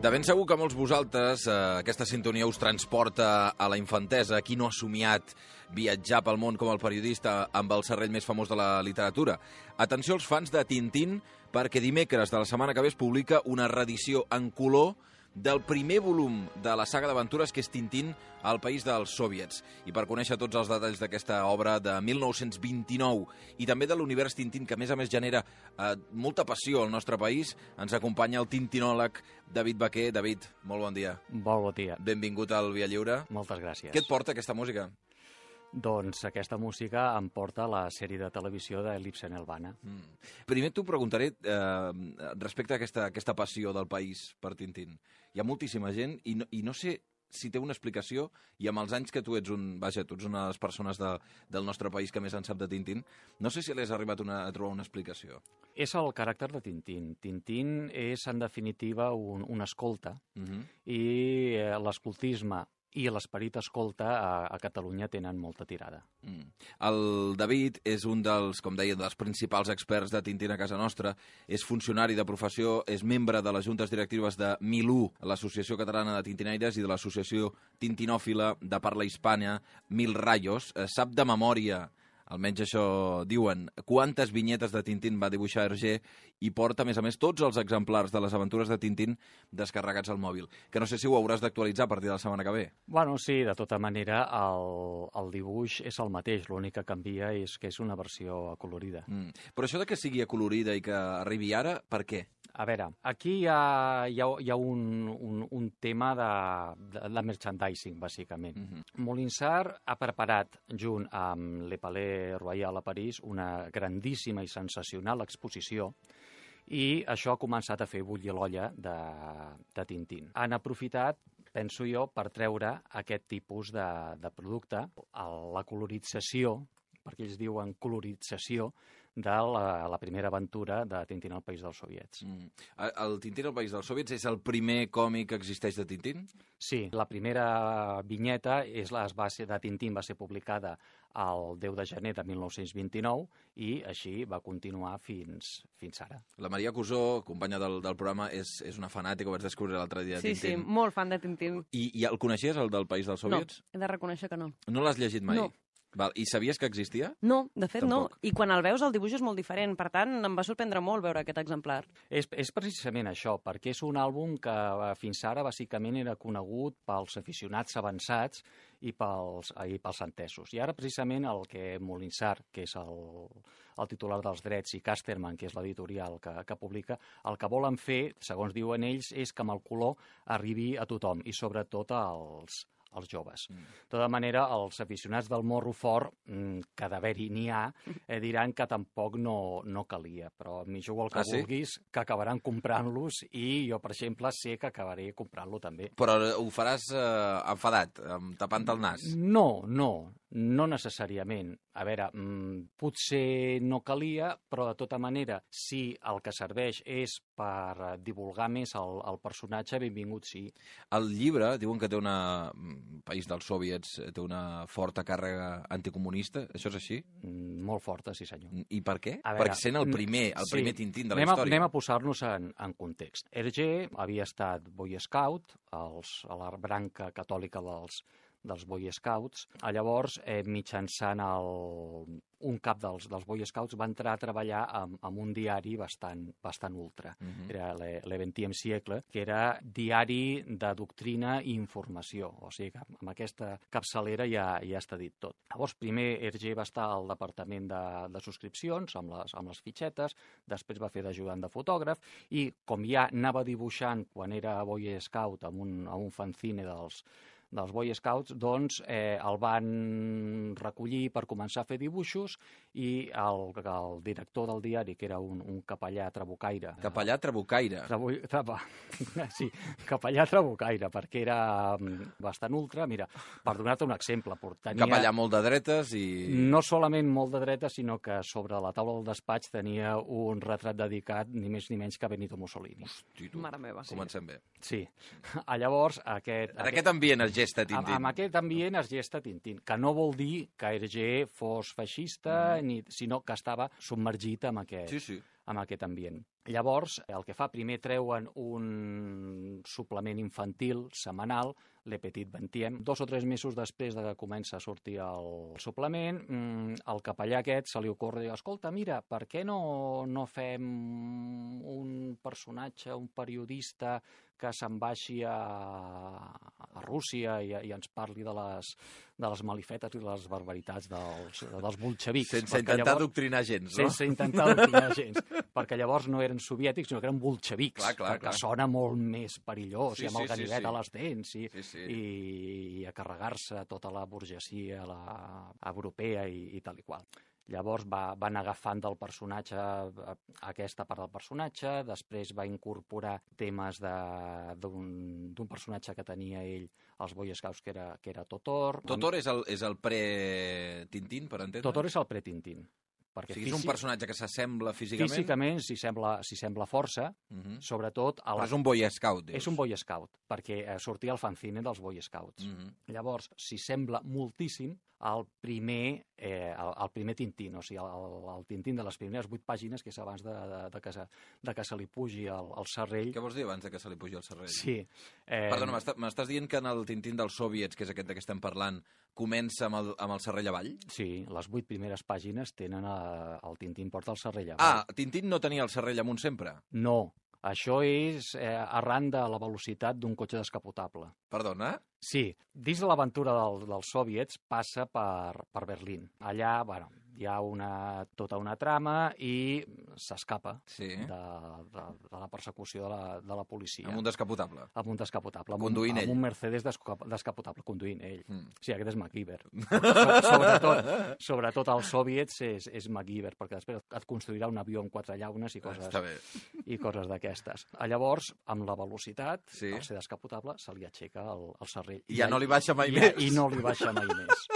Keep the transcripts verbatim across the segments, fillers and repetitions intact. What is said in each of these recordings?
De ben segur que molts vosaltres eh, aquesta sintonia us transporta a la infantesa. Qui no ha somiat viatjar pel món com el periodista amb el serrell més famós de la literatura? Atenció als fans de Tintín, perquè dimecres de la setmana que ve es publica una reedició en color del primer volum de la saga d'aventures que és Tintín al país dels soviets. I per conèixer tots els detalls d'aquesta obra de mil nou-cents vint-i-nou i també de l'univers Tintín, que a més a més genera eh, molta passió al nostre país, ens acompanya el tintinòleg David Baquer. David, molt bon dia. Molt bon dia. Benvingut al Via Lliure. Moltes gràcies. Què et porta aquesta música? Doncs aquesta música em porta la sèrie de televisió de Lipsen Elvana. Mm. Primer t'ho preguntaré eh, respecte a aquesta, aquesta passió del país per Tintín. Hi ha moltíssima gent i no, i no sé si té una explicació, i amb els anys que tu ets un, vaja, tu ets una de les persones de, del nostre país que més en sap de Tintín, no sé si l'has arribat una, a trobar una explicació. És el caràcter de Tintín. Tintín és, en definitiva, un, un escolta, uh-huh. i eh, l'escoltisme i l'esperit escolta a, a Catalunya tenen molta tirada. Mm. El David és un dels, com deia, dels principals experts de Tintín a casa nostra, és funcionari de professió, és membre de les juntes directives de Milú, l'Associació Catalana de Tintinaires, i de l'Associació Tintinòfila de Parla Hispana, Mil Rayos. Eh, sap de memòria, almenys això diuen, quantes vinyetes de Tintín va dibuixar Hergé, i porta, a més a més, tots els exemplars de les aventures de Tintín descarregats al mòbil. Que no sé si ho hauràs d'actualitzar a partir de la setmana que ve. Bueno, sí, de tota manera, el, el dibuix és el mateix, l'únic que canvia és que és una versió acolorida. Mm. Però això de que sigui acolorida i que arribi ara, per què? A veure, aquí hi ha, hi ha, hi ha un, un, un tema de, de, de merchandising, bàsicament. Mm-hmm. Molinsart ha preparat, junt amb Le Palais Royal a París, una grandíssima i sensacional exposició, i això ha començat a fer bullir l'olla de, de Tintín. Han aprofitat, penso jo, per treure aquest tipus de, de producte, la colorització, perquè ells diuen colorització, de la, la primera aventura de Tintín al País dels Soviets. Mm. El Tintín al País dels Soviets és el primer còmic que existeix de Tintín? Sí, la primera vinyeta és la base de Tintín, va ser publicada el deu de gener de mil nou-cents vint-i-nou i així va continuar fins, fins ara. La Maria Cusó, companya del, del programa, és, és una fanàtica, ho vaig descobrir l'altre dia de sí, Tintín. Sí, sí, molt fan de Tintín. I, I el coneixies, el del País dels Soviets? No, he de reconèixer que no. No l'has llegit mai? No. Val. I sabies que existia? No, de fet Tampoc. no. I quan el veus el dibuix és molt diferent, per tant em va sorprendre molt veure aquest exemplar. És, és precisament això, perquè és un àlbum que fins ara bàsicament era conegut pels aficionats avançats i pels, i pels entesos. I ara precisament el que Molinsart, que és el, el titular dels drets, i Casterman, que és l'editorial que, que publica, el que volen fer, segons diuen ells, és que amb el color arribi a tothom, i sobretot als els joves. Mm. De tota manera, els aficionats del morro fort, que d'haver-hi n'hi ha, eh, diran que tampoc no, no calia, però m'hi jugo el que ah, sí? vulguis, que acabaran comprant-los, i jo, per exemple, sé que acabaré comprant-lo també. Però ho faràs eh, enfadat, tapant el nas? No, no, no necessàriament. A veure, mmm, potser no calia, però de tota manera, si el que serveix és per divulgar més el, el personatge, benvingut sí. El llibre, diuen que té una... País dels Soviets, té una forta càrrega anticomunista, això és així? Mm, molt forta, sí senyor. I per què? Veure, perquè sent el primer, el sí, primer Tintín de la anem a, història. Anem a posar-nos en, en context. Hergé havia estat Boy Scout, els, a la branca catòlica dels, dels Boy Scouts. Llavors, eh, mitjançant el, un cap dels, dels Boy Scouts, va entrar a treballar amb, amb un diari bastant, bastant ultra. Uh-huh. Era le vingtième siècle, que era diari de doctrina i informació. O sigui que amb aquesta capçalera ja, ja està dit tot. Llavors, primer Hergé va estar al departament de, de subscripcions, amb les, amb les fitxetes, després va fer d'ajudant de fotògraf, i com ja anava dibuixant quan era Boy Scout amb un, amb un fanzine dels dels Boy Scouts, doncs eh, el van recollir per començar a fer dibuixos, i el, el director del diari, que era un, un capellà trabucaire... Capellà trabucaire? Trabu, traba, sí, capellà trabucaire, perquè era bastant ultra. Mira, per donar-te un exemple, tenia... Capellà molt de dretes i... No solament molt de dretes, sinó que sobre la taula del despatx tenia un retrat dedicat ni més ni menys que a Benito Mussolini. Hosti, tu. Mare meva, sí. Comencem bé. Sí. Llavors, aquest... En aquest ambient, Hergé, gesta Tintín. Amb, amb aquest ambient es gesta Tintín, que no vol dir que Hergé fos feixista, mm. ni, sinó que estava submergit en aquest, sí, sí. en aquest ambient. Llavors, el que fa, primer treuen un suplement infantil setmanal, Le Petit Vingtième. Dos o tres mesos després de que comença a sortir el suplement, el capellà aquest se li ocorre dir, escolta, mira, per què no, no fem un personatge, un periodista que se'n baixi a, a Rússia i, i ens parli de les, de les malifetes i de les barbaritats dels, dels bolxevics. Sense intentar llavors, adoctrinar gens, no? Sense intentar adoctrinar gens, perquè llavors no eren soviètics, sinó que eren bolxevics, clar, clar, perquè clar. sona molt més perillós, sí, i amb el sí, ganivet sí, sí. a les dents, i, sí, sí. i, i a carregar-se tota la burgesia la, europea i, i tal i qual. Llavors va, van agafant del personatge aquesta part del personatge, després va incorporar temes d'un personatge que tenia ell als Boy Scouts, que era, que era Totor. Totor és el, és el pre-Tintín, per entendre? Totor és el pre-Tintín. Perquè o sigui, és un personatge que s'assembla físicament? Físicament s'hi sembla, sembla força, uh -huh. sobretot... A la... Però és un Boy Scout, dius? És un Boy Scout, perquè eh, sortia al fanzine dels Boy Scouts. Uh -huh. Llavors, s'hi sembla moltíssim al primer, eh, el, el primer Tintín, o sigui, el, el Tintín de les primeres vuit pàgines, que és abans de, de, de, que, se, de que se li pugi el, el serrell. Què vols dir abans de que se li pugi el serrell? Sí. Eh... Perdona, m'estàs dient que en el Tintín dels soviets, que és aquest de què estem parlant, comença amb el, amb el serrell avall? Sí, les vuit primeres pàgines tenen a, el Tintín porta el serrell avall. Ah, Tintín no tenia el serrell amunt sempre? No, això és eh, arran de la velocitat d'un cotxe descapotable. Perdona? Sí, dins de l'aventura del, dels soviets passa per, per Berlín. Allà, bueno, hi ha una, tota una trama i s'escapa sí. de, de, de la persecució de la, de la policia. Amb un descapotable? Amb un descapotable. Conduint amb un, ell? Amb un Mercedes descapotable, conduint ell. Mm. Sí, aquest és MacGyver. sobretot, sobretot als soviets és, és MacGyver, perquè després et construirà un avió amb quatre llaunes i coses, i coses d'aquestes. Llavors, amb la velocitat, sí. al ser descapotable, se li aixeca el, el serrell. I ja I no li baixa mai i, més. I no li baixa mai més.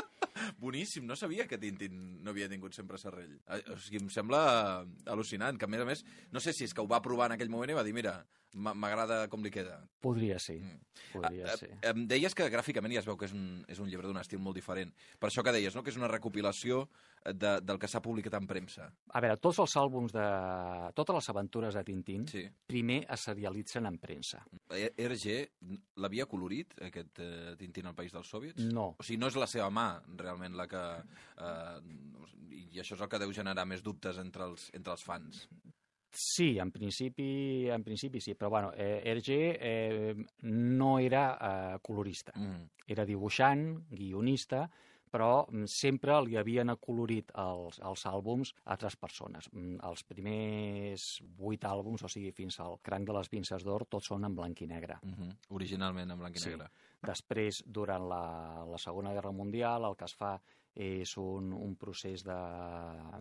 Boníssim, no sabia que Tintín no havia tingut sempre serrell. O sigui, em sembla al·lucinant, que a més a més, no sé si és que ho va provar en aquell moment i va dir, mira, m'agrada com li queda. Podria ser, mm. podria a, ser. A, em deies que gràficament ja es veu que és un, és un llibre d'un estil molt diferent. Per això que deies, no?, que és una recopilació de, del que s'ha publicat en premsa. A veure, tots els àlbums de... totes les aventures de Tintín, sí. primer es serialitzen en premsa. Hergé l'havia colorit, aquest eh, Tintín al País dels Soviets? No. O sigui, no és la seva mà, realment, la que... Eh, i això és el que deu generar més dubtes entre els, entre els fans. Sí, en principi, en principi sí, però bueno, eh, Hergé eh, no era eh, colorista, mm. era dibuixant, guionista, però sempre li havien acolorit els, els àlbums a altres persones. Els primers vuit àlbums, o sigui, fins al Cranc de les Pinces d'Or, tots són en blanc i negre. Mm-hmm. Originalment en blanc i sí. negre. Després, durant la, la Segona Guerra Mundial, el que es fa és un, un procés de,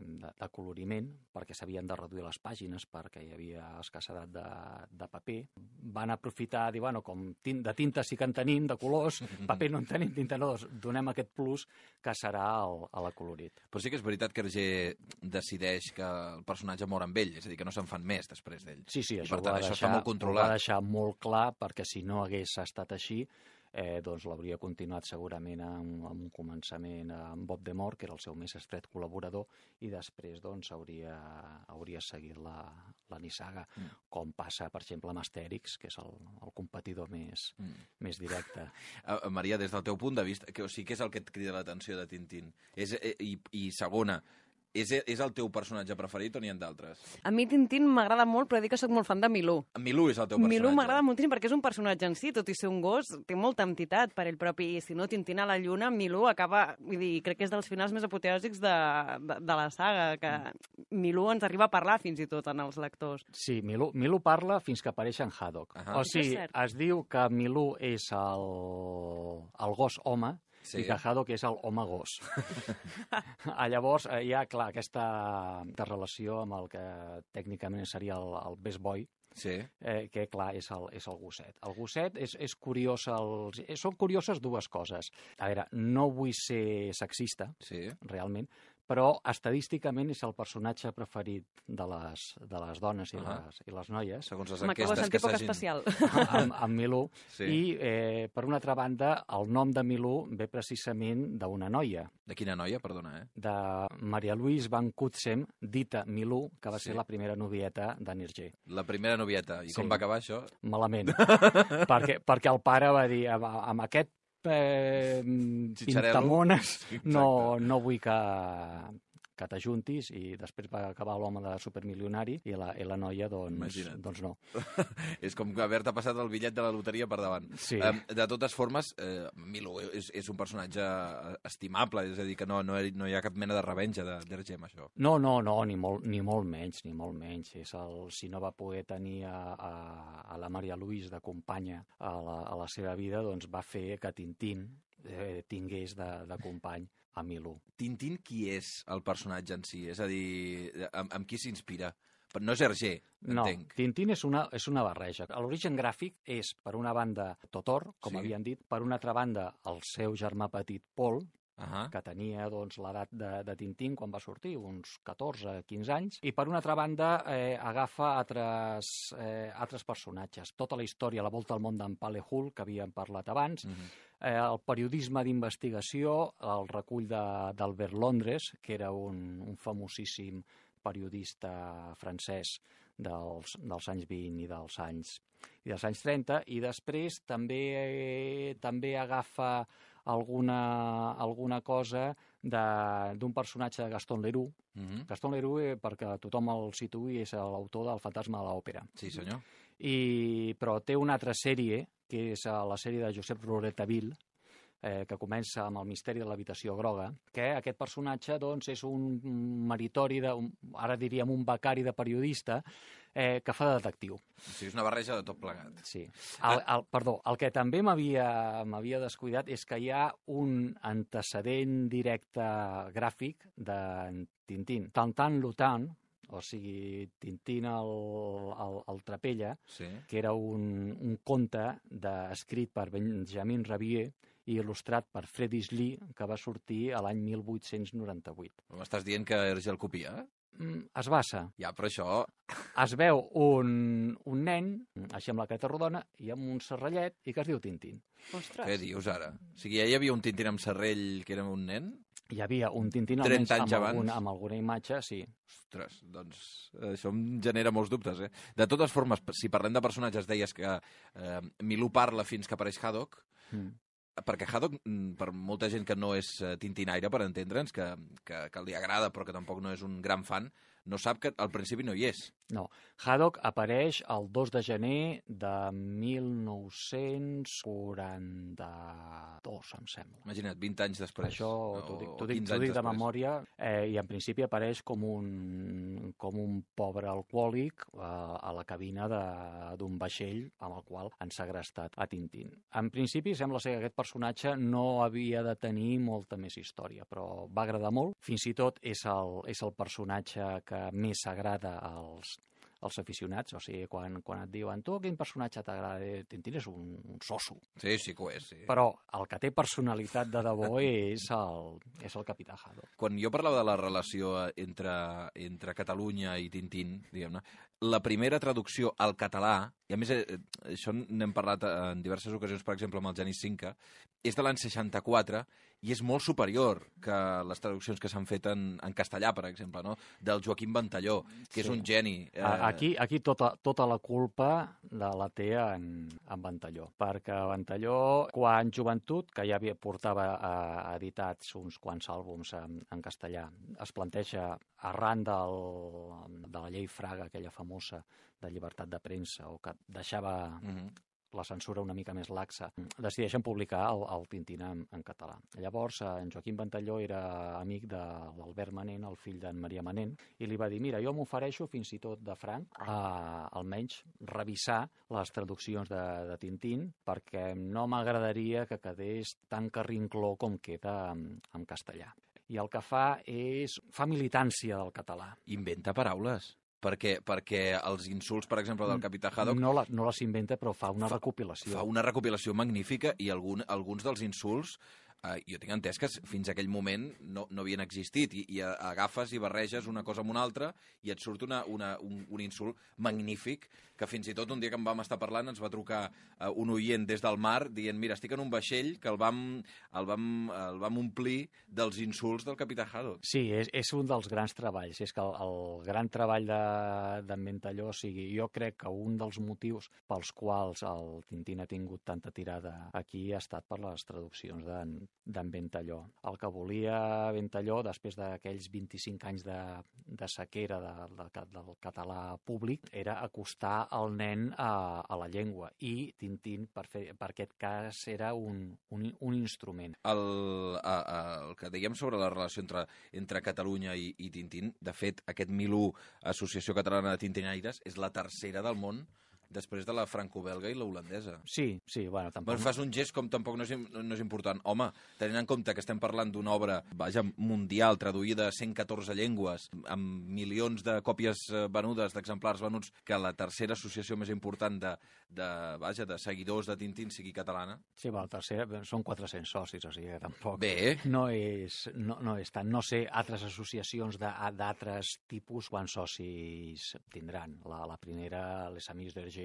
de, de coloriment, perquè s'havien de reduir les pàgines, perquè hi havia escassedat de, de paper. Van aprofitar, dir, bueno, com tint, de tinta sí que en tenim, de colors, paper no en tenim, tinta no, doncs donem aquest plus que serà el, a l'acolorit. Però sí que és veritat que Hergé decideix que el personatge mor amb ell, és a dir, que no se'n fan més després d'ell. Sí, sí, això, per tant, ho, va això deixar, està molt controlat. ho va deixar molt clar, perquè si no hagués estat així, Eh, doncs l'hauria continuat segurament amb, amb un començament amb Bob Demore, que era el seu més estret col·laborador, i després doncs hauria, hauria seguit la, la nissaga, mm. com passa, per exemple, amb Astèrix, que és el, el competidor més, mm. més directe. Uh, Maria, des del teu punt de vista, que, o sigui, què és el que et crida l'atenció de Tintín? És, eh, i, I segona, És, és el teu personatge preferit o n'hi ha d'altres? A mi Tintín m'agrada molt, però dic que soc molt fan de Milú. Milú és el teu personatge? Milú m'agrada moltíssim perquè és un personatge en si, tot i ser un gos, té molta entitat per ell propi. I si no, Tintín a la lluna, Milú acaba... Vull dir, crec que és dels finals més apoteòsics de, de, de la saga, que Milú ens arriba a parlar fins i tot en els lectors. Sí, Milú, Milú parla fins que apareix en Haddock. Uh -huh. O sigui, es diu que Milú és el, el gos home, sí. i que Haddock és el home gos. Llavors, hi ha, clar, aquesta relació amb el que tècnicament seria el, el best boy, sí. eh, que, clar, és el, és el gosset. El gosset és, és curiós, el, són curioses dues coses. A veure, no vull ser sexista, sí. realment, però estadísticament és el personatge preferit de les, de les dones i, Ah. les, i les noies, Segons les Home, que ho enquestes has que sentit poc s'hagin... especial. amb, amb Milú. Sí. I, eh, per una altra banda, el nom de Milú ve precisament d'una noia, De quina noia, perdona, eh? de Maria Louise Van Cutsem, dita Milú, que va Sí. ser la primera novieta d'Anirger. La primera novieta. I com Sí. va acabar això? Malament. perquè, perquè el pare va dir, amb, amb aquest eh, Xitxarel·lo. pintamones Exacte. no, no vull que, que t'ajuntis, i després va acabar l'home de supermilionari i la, i la noia, doncs, Imagina't. doncs no. És com haver-te passat el bitllet de la loteria per davant. Sí. Um, de totes formes, eh, Milú és, és un personatge estimable, és a dir, que no, no, hi- no hi ha cap mena de revenja de d'Erge amb això. No, no, no, ni molt, ni molt menys, ni molt menys. És el, si no va poder tenir a, a, a la Maria Louise de companya a la, a la seva vida, doncs va fer que Tintín eh, tingués de, de company a Milú. Tintín, qui és el personatge en si? És a dir, amb, amb qui s'inspira? Però no és Hergé, No, entenc. Tintín és una, és una barreja. L'origen gràfic és, per una banda, Totor, com Sí. havien dit, per una altra banda, el seu germà petit, Paul, Uh que tenia doncs, l'edat de, de Tintín quan va sortir, uns catorze quinze anys, i per una altra banda eh, agafa altres, eh, altres personatges. Tota la història, la volta al món d'en Pale Hull, que havíem parlat abans, -huh. eh, el periodisme d'investigació, el recull de- d'Albert Londres, que era un, un famosíssim periodista francès dels, dels anys vint i dels anys, i dels anys trenta, i després també, eh, també agafa alguna, alguna cosa de- d'un personatge de Gaston Leroux. Uh -huh. Gaston Leroux, eh, perquè tothom el situï, és l'autor del Fantasma de l'Òpera. Sí, senyor. I, però té una altra sèrie, que és eh, la sèrie de Josep Rouletabille, eh, que comença amb el misteri de l'habitació groga, que aquest personatge doncs, és un meritori, de, un, ara diríem un becari de periodista, eh, que fa de detectiu. O sigui, és una barreja de tot plegat. Sí. El, el, perdó, el que també m'havia m'havia descuidat és que hi ha un antecedent directe gràfic de Tintín. Tantan Lutan, o sigui, Tintín el, el, el Trapella, Sí. que era un, un conte de, escrit per Benjamin Rabier i il·lustrat per Fredis Lee, que va sortir a l'any mil vuit-cents noranta-vuit. M'estàs dient que Hergé el copia? Mm, es basa. Ja, però això... Es veu un, un nen, així amb la careta rodona, i amb un serrallet, i que es diu Tintín. Ostres. Què dius ara? O sigui, ja hi havia un Tintín amb serrell que era un nen? Hi havia un Tintín almenys trenta anys amb, abans. alguna, amb alguna imatge, sí. Ostres, doncs això em genera molts dubtes, eh? De totes formes, si parlem de personatges, deies que eh, Milú parla fins que apareix Haddock, Mm. perquè Haddock, mm, per molta gent que no és eh, tintinaire, per entendre'ns, que, que, que li agrada però que tampoc no és un gran fan, no sap que al principi no hi és. No, Haddock apareix el dos de gener de mil nou-cents quaranta-dos, em sembla. Imagina't, vint anys després. Això t'ho dic, t'ho dic, quinze t'ho anys dic de després. memòria, eh, i en principi apareix com un, com un pobre alcohòlic eh, a la cabina de- d'un vaixell amb el qual han segrestat a Tintín. En principi sembla ser que aquest personatge no havia de tenir molta més història, però va agradar molt. Fins i tot és el, és el personatge que més agrada als, als aficionats, o sigui, quan, quan et diuen tu quin personatge t'agrada, Eh, Tintín és un, un soso. Sí, sí que ho és, sí. Però el que té personalitat de debò és el, és el capità Haddock. Quan jo parlava de la relació eh, entre, entre Catalunya i Tintín, diguem-ne, la primera traducció al català, i a més eh, això n'hem parlat en diverses ocasions, per exemple, amb el Genís Cinca, és de l'any seixanta-quatre i és molt superior que les traduccions que s'han fet en, en castellà, per exemple, no? Del Joaquim Ventalló, que és Sí. un geni. Eh, A- Aquí, aquí tota, tota la culpa la, la té en, en Ventalló, perquè Ventalló, quan joventut, que ja havia portava a, editats uns quants àlbums en, en castellà, es planteja arran del, de la llei Fraga, aquella famosa de llibertat de premsa, o que deixava mhm. la censura una mica més laxa, decideixen publicar el, el Tintín en, en català. Llavors, en Joaquim Ventalló era amic de l'Albert Manent, el fill d'en Maria Manent, i li va dir, mira, jo m'ofereixo fins i tot de franc a almenys revisar les traduccions de, de Tintín, perquè no m'agradaria que quedés tan carrincló com queda en, en castellà. I el que fa és... fa militància del català. Inventa paraules. Perquè, perquè els insults, per exemple, del capità Haddock No, la, no les inventa, però fa una Fa- recopilació. fa una recopilació magnífica i algun, alguns dels insults Uh, jo tinc entès que fins aquell moment no, no havien existit, i, i agafes i barreges una cosa amb una altra i et surt una, una, un, un insult magnífic, que fins i tot un dia que en vam estar parlant ens va trucar uh, un oient des del mar dient, mira, estic en un vaixell que el vam, el vam, el vam omplir dels insults del capità Haddock. Sí, és, és un dels grans treballs. És que el, el gran treball d'en Ventalló, o sigui, jo crec que un dels motius pels quals el Tintín ha tingut tanta tirada aquí ha estat per les traduccions d'en d'en Ventalló. El que volia Ventalló, després d'aquells vint-i-cinc anys de, de sequera de, de, del català públic, era acostar el nen a, a la llengua, i Tintín, per, fer, per aquest cas, era un, un, un instrument. El, a, a, el que dèiem sobre la relació entre, entre Catalunya i, i Tintín, de fet, aquest Milú, Associació Catalana de Tintinaires, és la tercera del món després de la franco-belga i la holandesa. Sí, sí, bueno, tampoc... Bueno, fas un gest com tampoc no és, no és important. Home, tenint en compte que estem parlant d'una obra, vaja, mundial, traduïda a cent catorze llengües, amb milions de còpies venudes, d'exemplars venuts, que la tercera associació més important de, de, vaja, de seguidors de Tintín sigui catalana. Sí, bueno, la tercera, són quatre-cents socis, o sigui que tampoc... Bé. No és, no, no és tant. No sé altres associacions d'altres tipus quants socis tindran. La, la primera, les Amics d'Hergé,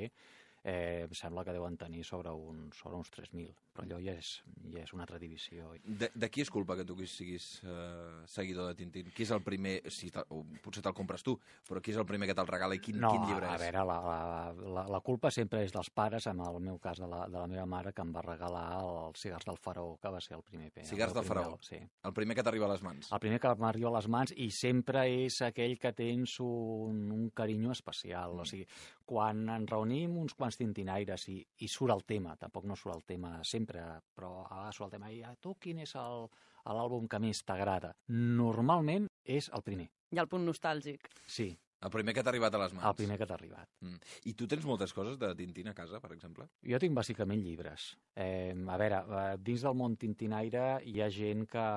Eh, em sembla que deuen tenir sobre, un, sobre uns tres mil, però allò ja és, ja és una altra divisió. De, de qui és culpa que tu siguis eh, seguidor de Tintín? Qui és el primer, si o potser te'l compres tu, però qui és el primer que te'l regala i quin, no, quin llibre és? No, a veure, la, la, la, la culpa sempre és dels pares, en el meu cas de la, de la meva mare, que em va regalar els Cigars del Faraó, que va ser el primer. Cigars del Faraó? Sí. El primer que t'arriba a les mans? El primer que m'arriba a les mans, i sempre és aquell que tens un, un carinyo especial. Mm. O sigui, quan ens reunim uns quants tintinaires i, i surt el tema, tampoc no surt el tema sempre, però ah, surt el tema, i a tu quin és l'àlbum que més t'agrada? Normalment és el primer. Hi ha el punt nostàlgic. Sí. El primer que t'ha arribat a les mans. El primer que t'ha arribat. Mm. I tu tens moltes coses de Tintín a casa, per exemple? Jo tinc bàsicament llibres. Eh, a veure, dins del món tintinaire hi ha gent que,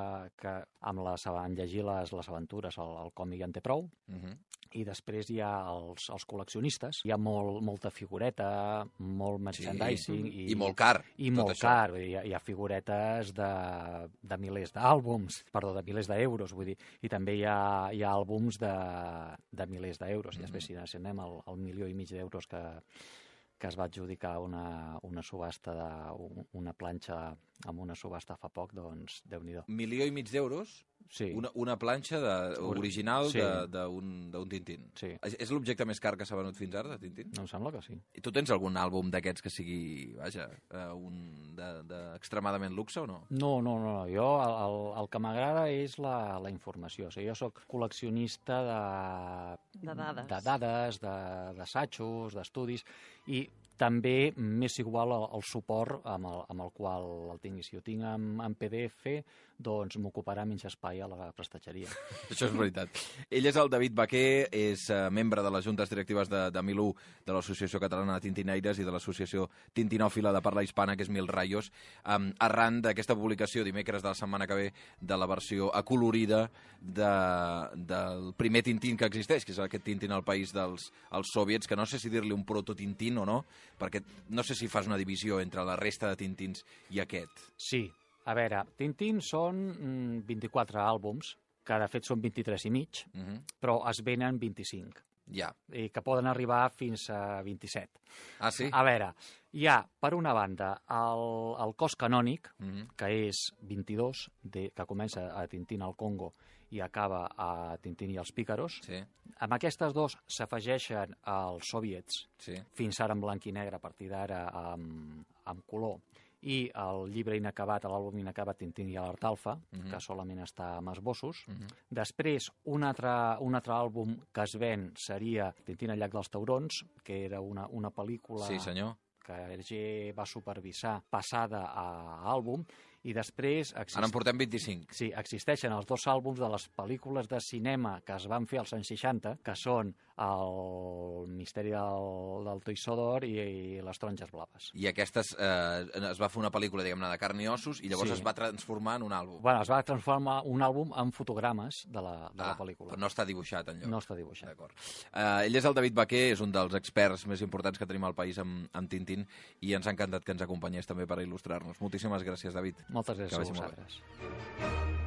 que amb les, en llegir les, les aventures, el, el còmic en té prou, uh -huh. i després hi ha els, els col·leccionistes. Hi ha molt, molta figureta, molt merchandising. Sí. I, I molt car. I molt això. car. Hi ha, hi ha figuretes de, de milers d'àlbums, perdó, de milers d'euros, vull dir. I també hi ha, hi ha àlbums de, de milers d'euros. I després, si anem al, al milió i mig d'euros que, que es va adjudicar una, una subhasta, de, una planxa amb una subhasta fa poc, doncs, Déu-n'hi-do. Milió i mig d'euros? Sí. Una, una planxa de, original sí. d'un Tintín. Sí. És, és l'objecte més car que s'ha venut fins ara, de Tintín? Em sembla que sí. I tu tens algun àlbum d'aquests que sigui, vaja, un d'extremadament luxe o no? No, no, no. Jo el, el que m'agrada és la, la informació. O sigui, jo sóc col·leccionista de... De dades. De dades, d'assajos, d'estudis, i també m'és igual el, el suport amb el, amb el qual el tingui. Si ho tinc en, en P D F, doncs m'ocuparà menys espai a la prestatgeria. Això és veritat. Ell és el David Baquer, és uh, membre de les juntes directives de, de Milú, de l'Associació Catalana de Tintinaires i de l'Associació Tintinòfila de Parla Hispana, que és Mil Rayos, um, arran d'aquesta publicació dimecres de la setmana que ve de la versió acolorida de, del primer Tintín que existeix, que és aquest Tintín al país dels els soviets, que no sé si dir-li un proto-Tintín o no, perquè no sé si fas una divisió entre la resta de Tintins i aquest. Sí. A veure, Tintín són mm, vint-i-quatre àlbums, que de fet són vint-i-tres i mig, uh -huh. però es venen vint-i-cinc. Ja. I que poden arribar fins a vint-i-set. Ah, sí? A veure, hi ha, per una banda, el, el cos canònic, uh -huh. que és vint-i-dos, de, que comença a Tintín al Congo i acaba a Tintín i els Pícaros. Sí. Amb aquestes dos s'afegeixen els soviets, sí. fins ara en blanc i negre, a partir d'ara amb, amb color, i el llibre inacabat, l'àlbum inacabat Tintín i l'Art Alfa, uh -huh. que solament està amb esbossos. Uh -huh. Després, un altre, un altre àlbum que es ven seria Tintín al llac dels taurons, que era una, una pel·lícula sí, senyor. que Hergé va supervisar passada a àlbum, i després... Exist... Ara en portem vint-i-cinc. Sí, existeixen els dos àlbums de les pel·lícules de cinema que es van fer als anys seixanta, que són el Misteri del, del Toisó d'Or i, i les Taronges Blaves. I aquestes, eh, es va fer una pel·lícula, diguem-ne, de carn i ossos, i llavors sí. es va transformar en un àlbum. Bueno, es va transformar un àlbum en fotogrames de la, de ah, la pel·lícula. Però no està dibuixat, enlloc. No està dibuixat. D'acord. Eh, ell és el David Baquer, és un dels experts més importants que tenim al país amb, amb Tintín, i ens ha encantat que ens acompanyés també per il·lustrar-nos. Moltíssimes gràcies, David. Moltes gràcies Que a vagi molt bé. vosaltres.